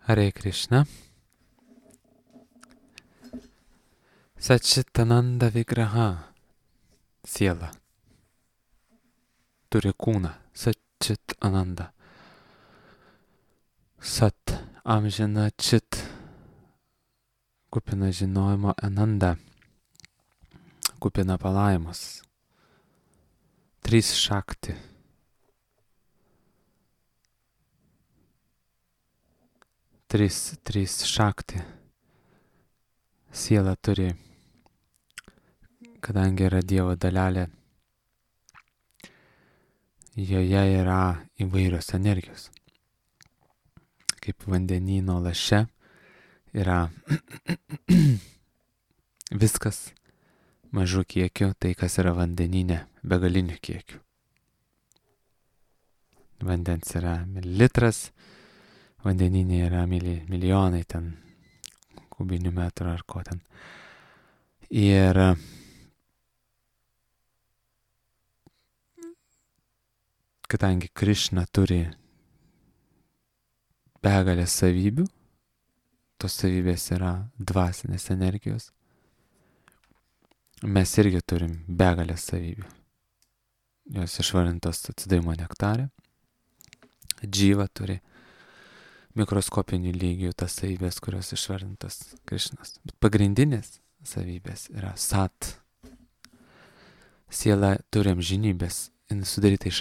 Hare Krishna. Satčitananda Vigraha. Siela turi kūną. Satčitananda. Sat amžina čit. Kupina žinojimo Ananda. Kupina palaimos. 3 šakti. Trys šakti. Siela turi, kadangi yra Dievo dalelė, joje yra įvairios energijos. Kaip vandenyno laše yra viskas mažų kiekių, tai kas yra vandenyne begalinių kiekių. Vandens yra mililitras, vandeninė yra milijonai ten kubinių metrų ar ko ten. Ir kadangi Krišna turi begalės savybių, tos savybės yra dvasinės energijos, mes irgi turim begalės savybių. Jos išvardintos atsidavimo nektare. Džyva turi mikroskopinių lygių tas savybės, kurios išvardintos Krišnos. Bet pagrindinės savybės yra sat. Siela turi amžinybės, jinai sudaryta iš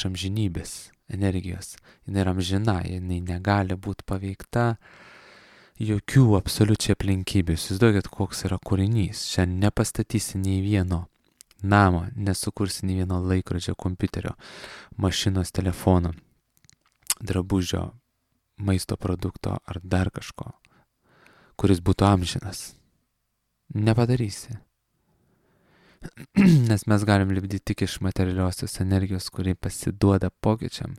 amžinybės energijos. Jinai yra amžina, jinai negali būti paveikta jokių absoliučiai aplinkybių. Įsivaizduokit, koks yra kūrinys. Šiandien nepastatysi nei vieno namo, nesukursi nei vieno laikrodžio, kompiuterio, mašinos, telefono, drabužio, maisto produkto ar dar kažko, kuris būtų amžinas. Nepadarysi. Nes mes galim lipdyti tik iš materialiosios energijos, kuri pasiduoda pokyčiam.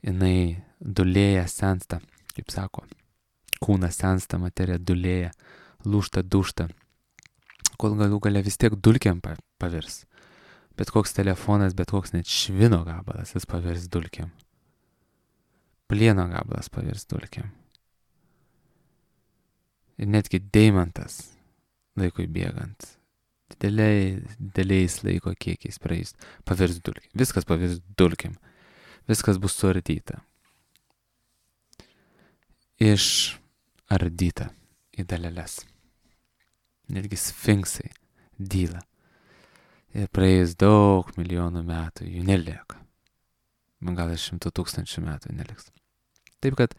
Jinai dulėja, sensta, kaip sako. Kūnas sensta, materija dulėja, lūžta, dušta. Kol galų gale vis tiek dulkiam pavirs. Bet koks telefonas, bet koks net švino gabalas, jis pavirs dulkiam. Plieno gabalas pavirs dulkiam. Ir netgi deimantas laikui bėgant, dideliais laiko kiekiais praeis, pavirs dulkiam. Viskas pavirs dulkiam. Viskas bus suardyta. Išardyta į daleles. Netgi sfinksai dyla. Ir praėjus daug milijonų metų jų nelieka. Gal 100 000 metų neliks. Taip kad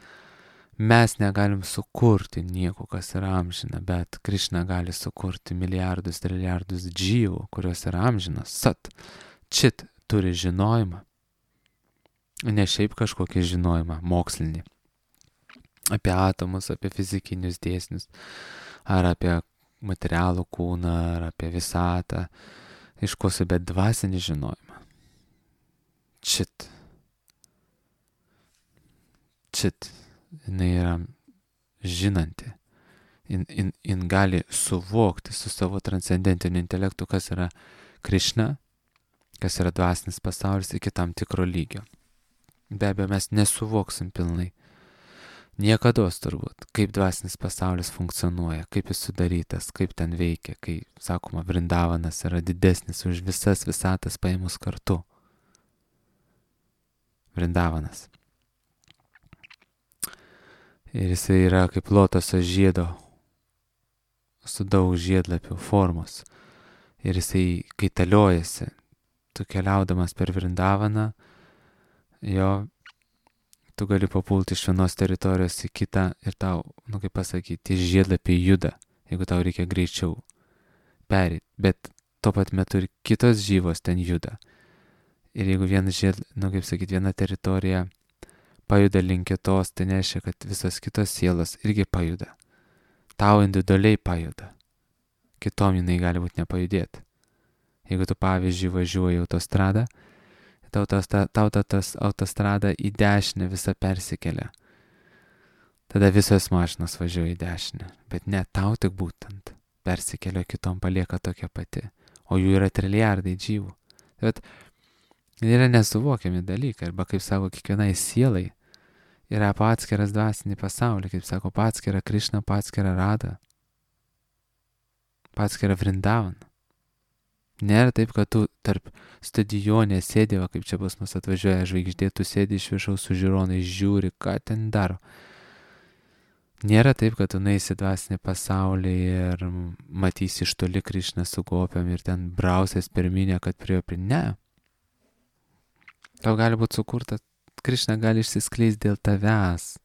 mes negalim sukurti nieko, kas yra amžina, bet Krišna gali sukurti milijardus, trilijardus džyvų, kurios yra amžinos. Sat, čit turi žinojimą. Ne šiaip kažkokį žinojimą mokslinį. Apie atomus, apie fizikinius dėsnius, ar apie materialų kūną, ar apie visatą. Iškosi, bet dvasinį žinojimą. Čit. Jinai yra žinanti. Jin gali suvokti su savo transcendentiniu intelektu, kas yra Krišna, kas yra dvasinis pasaulis iki tam tikro lygio. Be abejo, mes nesuvoksim pilnai. Niekados turbūt, kaip dvasinis pasaulis funkcionuoja, kaip jis sudarytas, kaip ten veikia, kai, sakoma, Vrindavanas yra didesnis už visas visatas paėmus kartu. Vrindavanas. Ir jisai yra kaip lotoso žiedo, su daug žiedlapių formos. Ir jisai kaitaliojasi, tu keliaudamas per Vrindavaną, tu gali papulti iš vienos teritorijos į kitą ir tau, kaip pasakyti, žiedlapiai juda, jeigu tau reikia greičiau perėti. Bet tuo pat metu ir kitos žyvos ten juda. Ir jeigu viena teritorija pajuda link kitos, tai nereiškia, kad visos kitos sielos irgi pajuda. Tau individualiai pajuda. Kitom jinai gali būti nepajudėti. Jeigu tu, pavyzdžiui, važiuoji autostradą, tau tas autostrada į dešinę visą persikelia. Tada visos mašinos važiuoja į dešinę. Bet ne, tau tik būtent persikelia, kitom palieka tokia pati. O jų yra trilijardai džyvų. Bet yra nesuvokiami dalykai. Arba, kaip sako, kiekvienai sielai yra atskiras dvasinį pasaulį, kaip sako, atskirą Krišną, atskirą Radą, atskirą Vrindavan. Nėra taip, kad tu tarp stadionė sėdėva, kaip čia pas mus atvažiuoja žvaigždė, tu sėdi iš viršaus su žiūronai, žiūri, ką ten daro. Nėra taip, kad tu nueisi dvasinį pasaulį ir matysi iš toli Krišną su gopiam ir ten brausės pirminė, kad prie. Ne. Tau gali būti sukurta, Krišna gali išsiskleisti dėl tavęs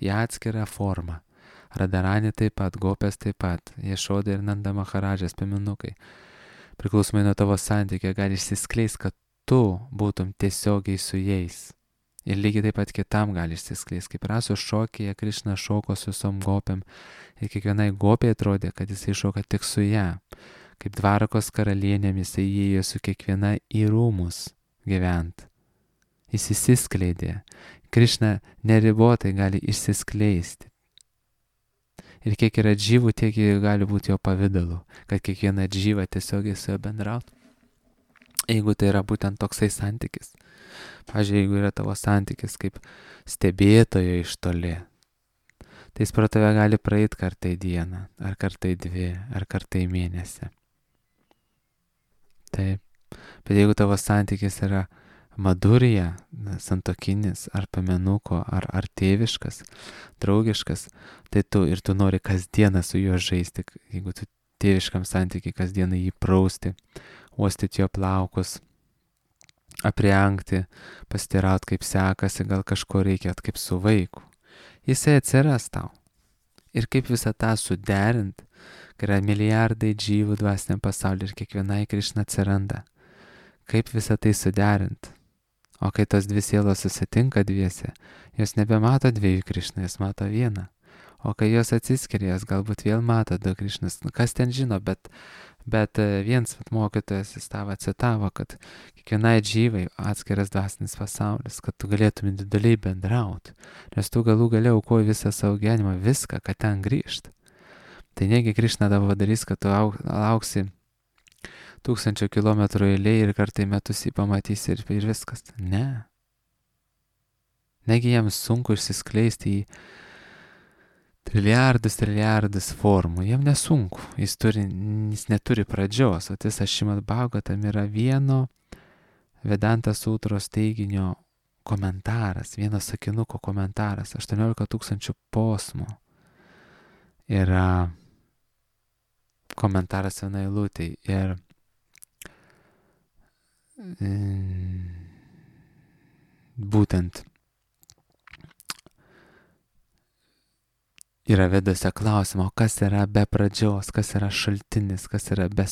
į atskirą formą. Radarani taip pat, gopės taip pat, Ješoda ir Nanda Maharadžas, piemenukai. Priklausomai nuo tavo santykio gali išsiskleisti, kad tu būtum tiesiogiai su jais. Ir lygiai taip pat kitam gali išsiskleisti. Kaip Rasos šokėje Krišna šoko su visom gopiam ir kiekvienai gopiai atrodė, kad jisai šoka tik su ją. Kaip Dvarakos karalienėm jisai įėjo su kiekviena į rūmus gyvent. Jis išsiskleidė. Krišna neribotai gali išsiskleisti. Ir kiek yra džyvų, tiek gali būti jo pavidalu, kad kiekviena džyva tiesiogiai su juo bendrautų. Jeigu tai yra būtent toksai santykis. Pavyzdžiui, jeigu yra tavo santykis kaip stebėtojo iš toli, tai jis pro tave gali praeiti kartą į dieną, ar kartą į 2, ar kartą į mėnesį. Taip. Bet jeigu tavo santykis yra madurija, santokinis, ar pamenuko, ar tėviškas, draugiškas, tai tu nori kasdieną su juo žaisti, jeigu tu tėviškam santykiai kasdieną jį prausti, uostyti jo plaukus, aprengti, pasiteiraut kaip sekasi, gal kažko reikia, kaip su vaiku. Jisai atsiras tau. Ir kaip visą tą suderint, kai yra milijardai džyvų dvasiniam pasaulyje ir kiekvienai Krišna atsiranda. Kaip visą tai suderint? O kai tos dvi sielos susitinka dviese, jos nebemato 2 Krišnų, jos mato vieną. O kai jos atsiskiria, jos galbūt vėl mato 2 Krišnus. Kas ten žino, bet vienas mokytojas jis tavo citavo, kad kiekvienai džyvai atskiras dvasinis pasaulis, kad tu galėtum individualiai bendrauti, nes tu galų gale aukoji visą savo gyvenimą, viską, kad ten grįžt. Tai negi Krišna tavo darys, kad tu lauksi 1000 kilometrų eilėje ir kartai metus jį pamatysi ir viskas. Ne. Negi jam sunku išsiskleisti į trilijardus formų. Jam nesunku. Jis neturi pradžios. O tas Šrimad Bhagavatam yra vieno Vedanta sutros teiginio komentaras, vieno sakinuko komentaras, 18 000 posmų. Yra komentaras vienai eilutei ir būtent yra Vedose klausimo, kas yra be pradžios, kas yra šaltinis, kas yra be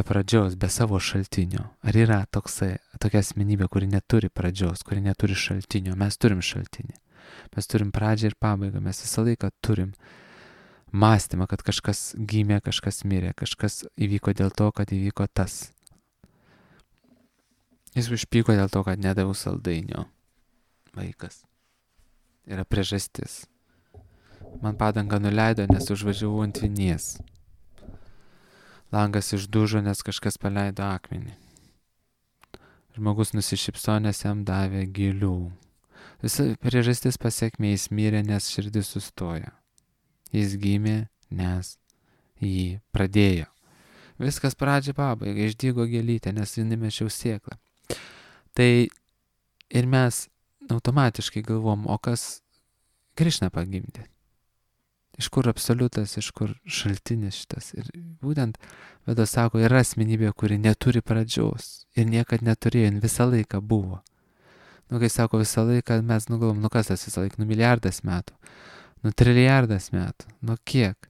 pradžios, be savo šaltinio. Ar yra tokia asmenybė, kuri neturi pradžios, kuri neturi šaltinio? Mes turim šaltinį. Mes turim pradžią ir pabaigą. Mes visą laiką turim mąstymą, kad kažkas gimė, kažkas mirė, kažkas įvyko dėl to, kad įvyko tas. Jis užpyko dėl to, kad nedaviau saldainio. Vaikas. Yra priežastis. Man padangą nuleido, nes užvažiavau ant vinies. Langas išdužo, nes kažkas paleido akmenį. Žmogus nusišypso, nes jam davė gėlių. Visa priežastis pasekmė, jis mirė, nes širdis sustojo. Jis gimė, nes jį pradėjo. Viskas pradžia pabaiga, išdygo gėlytė, nes jį nemečiau sėklą. Tai ir mes automatiškai galvom, o kas Krišną pagimdė? Iš kur absoliutas, iš kur šaltinis šitas? Ir būtent Vedas sako, yra asmenybė, kuri neturi pradžios ir niekad neturėjo, jin visą laiką buvo. Kai sako visą laiką, mes nugalvom, kas tas visą laiką, milijardas metų. 1 trilijardas metų. Kiek?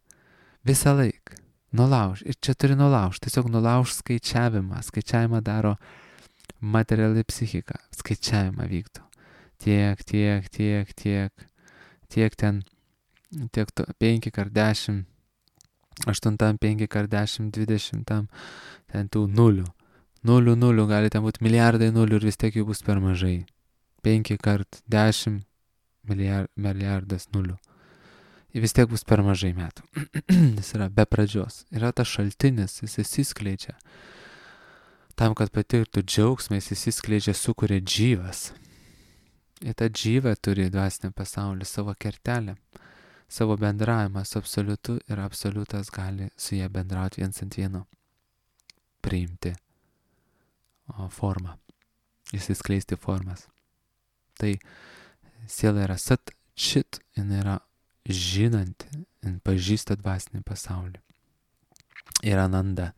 Visą laiką. Nulauž. Ir čia turi nulauž. Tiesiog nulauž skaičiavimą. Skaičiavimą daro materiali psichika. Skaičiavimą vykdo. Tiek ten, tiek 5x10, 8, 5x10, 20, ten tų nulių. Nulių, gali ten būti milijardai nulių ir vis tiek jų bus per mažai. 5x10 milijardas nulių. Ir vis tiek bus per mažai metų. Jis yra be pradžios. Yra tas šaltinis, jis įsiskleidžia. Tam, kad patirtų džiaugsmą, jis įsiskleidžia, sukuria džyvas. Ir ta džyva turi dvasinį pasaulį savo kertelę, savo bendravimą su absoliutu ir absoliutas gali su jie bendrauti viens ant vieno, priimti formą, įsiskleisti formas. Tai siela yra sat čit, jinai yra žinanti, jin pažįsta dvasinį pasaulį. Ir ananda,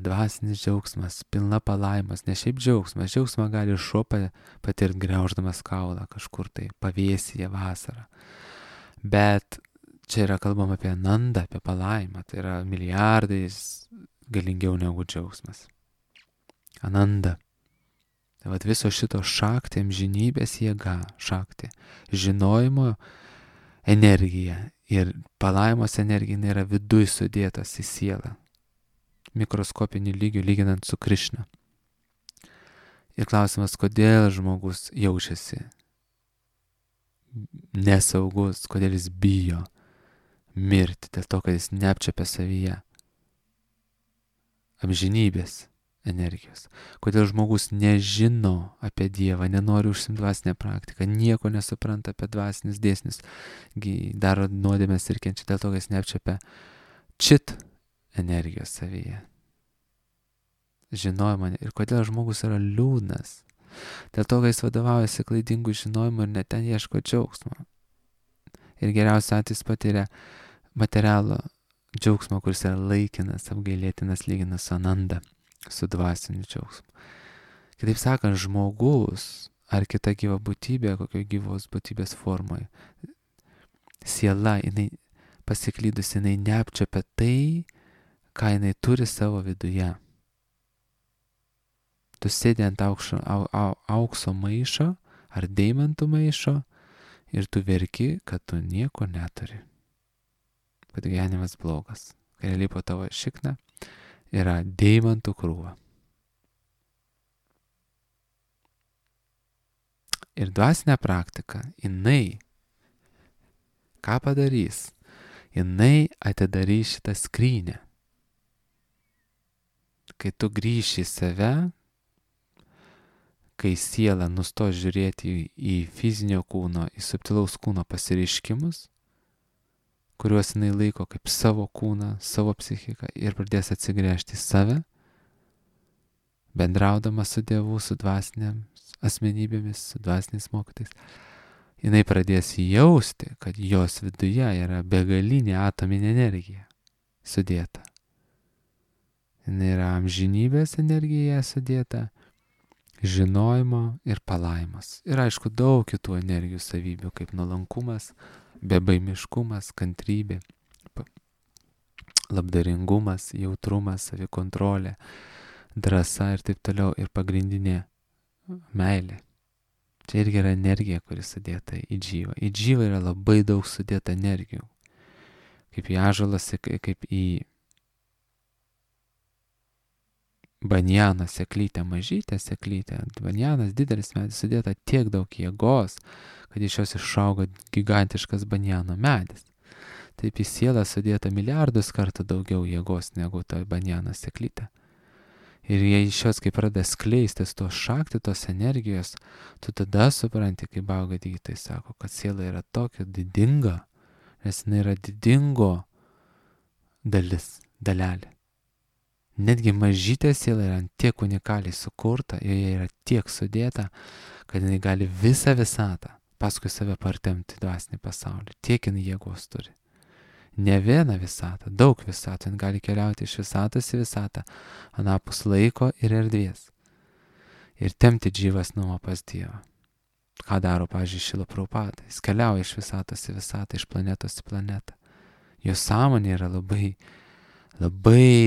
dvasinis džiaugsmas, pilna palaimas, ne šiaip džiaugsmas, džiaugsmą gali šuo patirti grauždamas kaulą kažkur tai pavėsyje vasarą. Bet čia yra kalbama apie anandą, apie palaimą, tai yra milijardais galingiau negu džiaugsmas. Ananda. Tai vat viso šito šakti, amžinybės jėga, šakti, žinojimo energija ir palaimos energija yra viduj sudėtas į sielą, mikroskopinį lygių lyginant su Krišna. Ir klausimas, kodėl žmogus jaučiasi nesaugus, kodėl jis bijo mirti, dėl to, kad jis neapčiapia savyje amžinybės energijos. Kodėl žmogus nežino apie Dievą, nenori užsimti dvasinę praktiką, nieko nesupranta apie dvasinius dėsnius, daro nuodėmes ir kenčia dėl to, kad jis neapčiapia čit energijos savyje. Žinojimą. Ir kodėl žmogus yra liūdnas? Dėl to, kad jis vadovaujasi klaidingų žinojimų ir net ten ieško džiaugsmo. Ir geriausiu atveju patiria materialų džiaugsmą, kuris yra laikinas, apgailėtinas, lyginas su ananda, su dvasiniu džiaugsmu. Kitaip sakant, žmogus ar kita gyva būtybė, kokio gyvos būtybės formoje, siela, jinai pasiklydusi, jinai neapčiapia tai, ką jinai turi savo viduje. Tu sėdi ant aukso maišo ar deimantų maišo ir tu verki, kad tu nieko neturi. Kad gyvenimas blogas. Kai realiai po tavo šikna yra deimantų krūva. Ir dvasinė praktika, jinai ką padarys? Jinai atidarys šitą skrynę. Kai tu grįši į save, kai siela nustos žiūrėti į fizinio kūno, į subtilaus kūno pasireiškimus, kuriuos jinai laiko kaip savo kūną, savo psichiką ir pradės atsigręžti į save, bendraudama su Dievu, su dvasinėmis asmenybėmis, su dvasiniais mokytais, jinai pradės jausti, kad jos viduje yra begalinė atominė energija sudėta. Jinai yra amžinybės energija sudėta, žinojimo ir palaimas. Ir aišku, daug kitų energijų savybių, kaip nuolankumas, bebaimiškumas, kantrybė, labdaringumas, jautrumas, savikontrolė, drąsa ir taip toliau. Ir pagrindinė meilė. Čia irgi yra energija, kuri sudėta į džyvą. Į džyvą yra labai daug sudėta energijų. Kaip į ąžuolas, kaip į banjaną seklytę, mažytę seklytę. Banjanas didelis medis, sudėta tiek daug jėgos, kad iš jos išauga gigantiškas banjano medis. Taip į sielą sudėta milijardus kartų daugiau jėgos negu ta banjano seklytė. Ir jei iš jos, kai pradeda skleistis tos šakti, tos energijos, tu tada supranti, kaip Bhagavad-gita sako, kad siela yra tokia didinga, nes jinai yra didingo dalelė. Netgi mažytė siela yra tiek unikaliai sukurta, joje yra tiek sudėta, kad jinai gali visą visatą paskui save partemti dvasinį pasaulį. Tiek jinai jėgos turi. Ne vieną visatą, daug visatų. Jin gali keliauti iš visatos į visatą, anapus laiko ir erdvės. Ir tempti džyvas nuo pas Dievą. Ką daro, pavyzdžiui, Šrila Prabhupada? Jis keliauja iš visatos į visatą, iš planetos į planetą. Jo sąmonė yra labai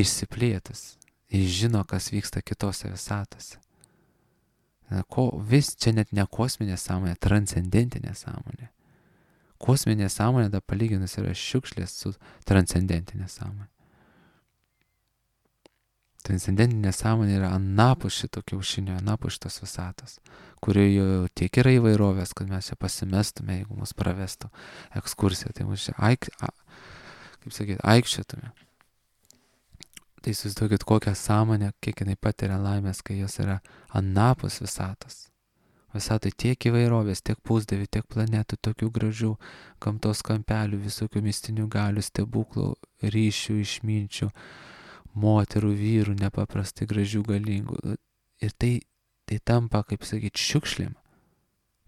išsiplėtus. Jis žino, kas vyksta kitose visatose. Čia net ne kosminė sąmonė, transcendentinė sąmonė. Kosminė sąmonė, da palyginus, yra šiukšlės su transcendentinė sąmonė. Transcendentinė sąmonė yra anapus šito kiaušinio, anapus šitos visatos, kurioje tiek yra įvairovės, kad mes čia pasimestume, jeigu mus pravestų ekskursija. Tai mus čia aikščiotume. Tai įsivaizduokit kokią sąmonę, kiek jinai patiria laimės, kai jos yra anapus visatos. Visatoj tiek įvairovės, tiek pusdievių, tiek planetų, tokių gražių gamtos kampelių, visokių mistinių galių, stebuklų, ryšių, išminčių, moterų, vyrų, nepaprastai gražių, galingų. Ir tai tampa, kaip sakyti, šiukšlėm,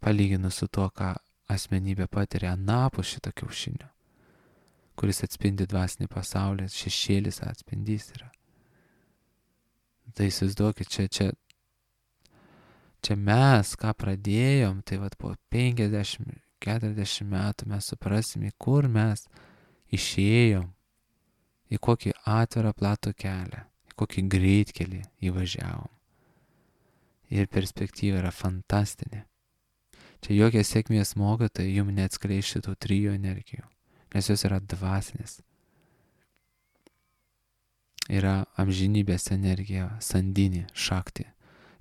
palyginus su tuo, ką asmenybė patiria anapus šito kiaušinio, kuris atspindi dvasinį pasaulį, šešėlis atspindys yra. Tai įsivaizduokit, čia mes, ką pradėjom, tai vat po 50-40 metų mes suprasim, į kur mes išėjom, į kokį atvirą platų kelią, į kokį greitkelį įvažiavom. Ir perspektyva yra fantastinė. Čia jokie sėkmės mokytojai jums neatskleis šitų 3 energijų, nes jos yra dvasinės. Yra amžinybės energija, sandinė, šakti.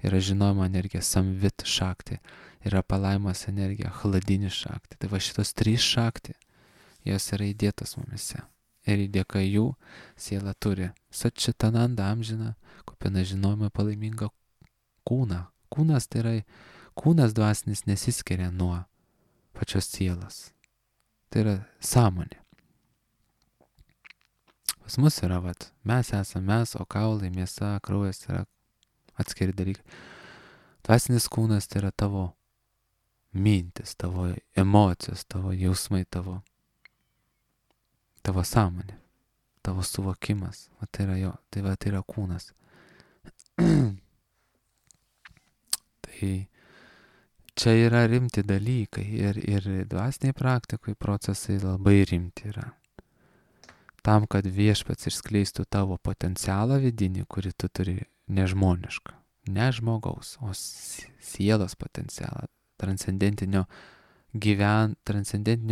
Yra žinojimo energija, samvit šakti. Yra palaimos energija, chladinė šakti. Tai va šitos 3 šakti, jos yra įdėtos mumise. Ir dėka jų siela turi Satčitananda amžiną, kupina žinojimo palaimingą kūną. Kūnas tai yra, kūnas dvasinis nesiskiria nuo pačios sielos. Tai yra sąmonė. Pas mus yra, mes esame mes, o kaulai, mėsa, kraujas yra atskiri dalykai. Dvasinis kūnas tai yra tavo mintis, tavo emocijos, tavo jausmai, tavo sąmonė, tavo suvokimas. Tai yra jo, tai yra kūnas. Tai čia yra rimti dalykai ir dvasiniai praktikui procesai labai rimti yra. Tam, kad viešpats išskleistų tavo potencialą vidinį, kurį tu turi nežmonišką, ne žmogaus, o sielos potencialą, transcendentinio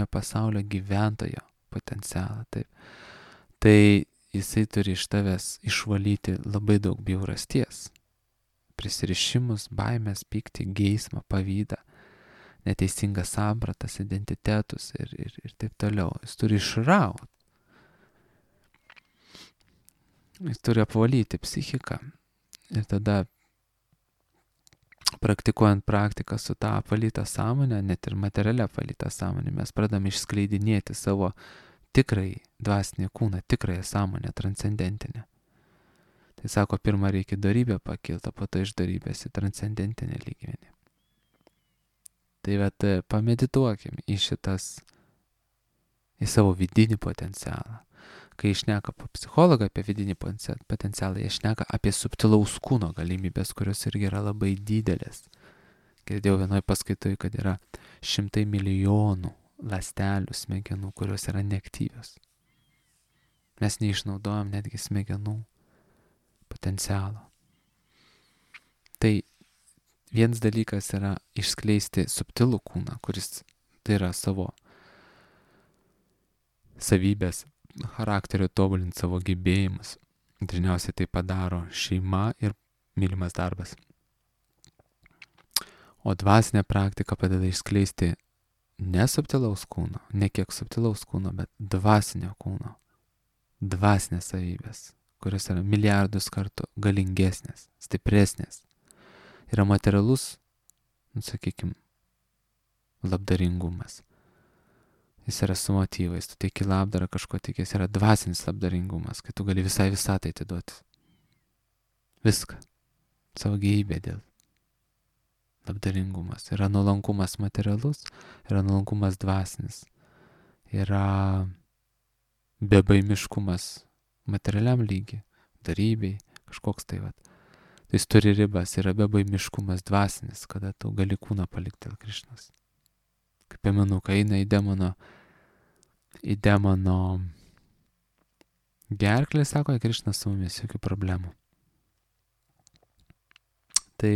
pasaulio gyventojo potencialą. Taip. Tai jisai turi iš tavęs išvalyti labai daug bjaurasties, prisirišimus, baimės, pyktį, geismą, pavydą, neteisingas sampratas, identitetus ir taip toliau. Jis turi išrauti. Jis turi apvalyti psichiką ir tada praktikuojant praktiką su tą apvalytą sąmonę, net ir materialia apvalytą sąmonę, mes pradame išskleidinėti savo tikrai dvasinį kūną, tikrąją sąmonę, transcendentinę. Tai sako, pirmą reikia dorybę pakilti, po to iš dorybės į transcendentinę lygmenį. Tai pamedituokim į savo vidinį potencialą. Kai išneka psichologą apie vidinį potencialą, jie šneka apie subtilaus kūno galimybės, kurios irgi yra labai didelės. Girdėjau vienoje paskaitoje, kad yra 100 milijonų ląstelių smegenų, kurios yra neaktyvios. Mes neišnaudojam netgi smegenų potencialo. Tai vienas dalykas yra išskleisti subtilų kūną, kuris tai yra savo savybės, charakterio tobulinti, savo gebėjimus. Dažniausiai tai padaro šeima ir mylimas darbas. O dvasinė praktika padeda išskleisti ne subtilaus kūno, ne kiek subtilaus kūno, bet dvasinio kūno. Dvasinės savybės, kurios yra milijardus kartų galingesnės, stipresnės. Yra materialus, sakykime, labdaringumas. Jis yra su motyvais, tu teiki labdarą, kažko tikės, yra dvasinis labdaringumas, kai tu gali visai visatai atiduoti. Viską. Savo gyvybę dėl. Labdaringumas. Yra nuolankumas materialus, yra nuolankumas dvasinis. Yra bebaimiškumas materialiam lygiui, darybei, kažkoks tai vat. Tai jis turi ribas, yra bebaimiškumas dvasinis, kada tu gali kūną palikti dėl Krišnos. Kaip pamenu, kai eina į demono gerklę, sako, Krišnas su mumis, jokių problemų. Tai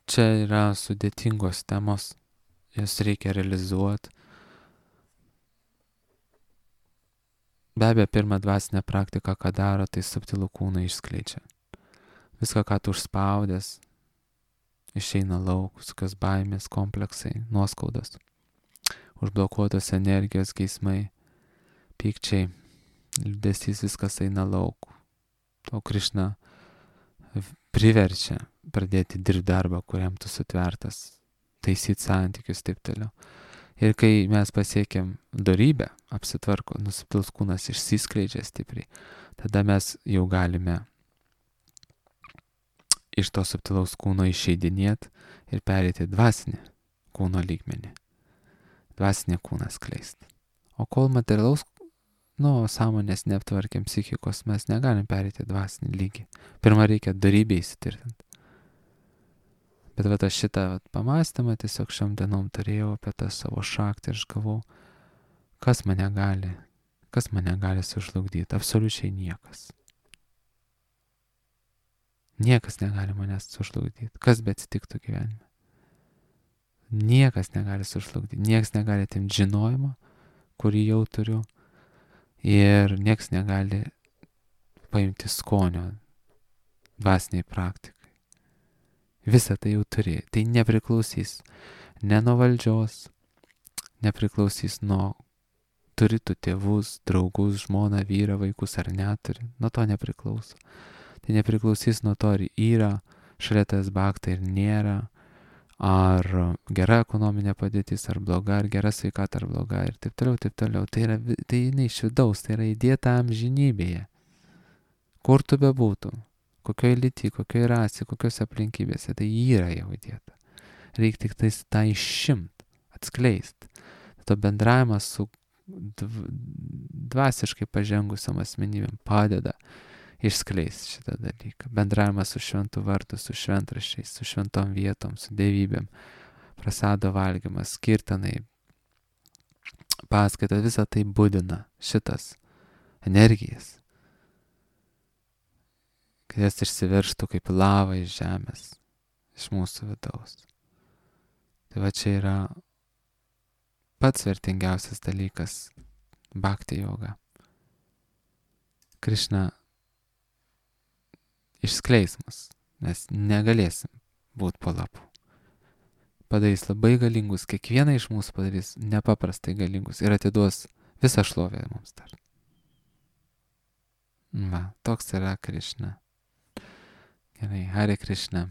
čia yra sudėtingos temos, jas reikia realizuoti. Be abejo, pirmą dvasinę praktiką, ką daro, tai subtilų kūną išskleidžia. Viską, ką tu užspaudęs, išeina lauk, visokios baimės, kompleksai, nuoskaudos, užblokuotos energijos, geismai, pykčiai, liūdesys, viskas eina lauk. O Krišna priverčia pradėti dirbti darbą, kuriam tu sutvertas taisyti santykius, taip toliau. Ir kai mes pasiekėm dorybę, apsitvarko, subtilus kūnas išsiskleidžia stipriai, tada mes jau galime iš to subtilaus kūno išeidinėti ir pereiti dvasinį kūno lygmenį. Dvasinį kūną skleisti. O kol materialaus, sąmonės neaptvarkėm psichikos, mes negalim pereiti dvasinį lygį. Pirma reikia dorybę įsitvirtinti. Bet aš šitą pamastymą tiesiog šiom dienom turėjau apie tą savo šaktį ir aš galvau, kas mane gali sužlugdyti? Absoliučiai niekas. Niekas negali manęs sužlugdyti. Kas be atsitiktų gyvenime? Niekas negali sužlugdyti. Niekas negali atimti žinojimo, kurį jau turiu. Ir niekas negali paimti skonio dvasiniai praktikai. Visą tai jau turi. Tai nepriklausys ne nuo valdžios, nepriklausys nuo turi tu tėvus, draugus, žmoną, vyrą, vaikus ar neturi. Nuo to nepriklauso. Tai nepriklausys nuo to, ar yra šalia tas bakta ir nėra, ar gera ekonominė padėtis, ar bloga, ar gera sveikata, ar bloga, ir taip toliau, taip toliau. Tai jinai iš vidaus, tai yra įdėta amžinybėje. Kur tu bebūtum, kokioj lyty, kokioj rasė, kokios aplinkybėse, tai yra jau įdėta. Reikia tik tais tą išimti, atskleisti. To bendravimas su dvasiškai pažengusiam asmenybėm padeda išskleisti šitą dalyką. Bendravimas su šventu vardu, su šventraščiais, su šventom vietom, su dievybėm, prasado valgymas, skirtinai, paskaita, visa tai būdina šitas energijas, kad jas išsiverštų kaip lava iš žemės, iš mūsų vidaus. Tai va čia yra pats vertingiausias dalykas bhakti joga. Krišna išskleis mus, mes negalėsim būti po lapu. Padarys labai galingus, kiekvieną iš mūsų padarys nepaprastai galingus ir atiduos visą šlovę mums dar. Va, toks yra Krišna. Gerai, Hare Krishna.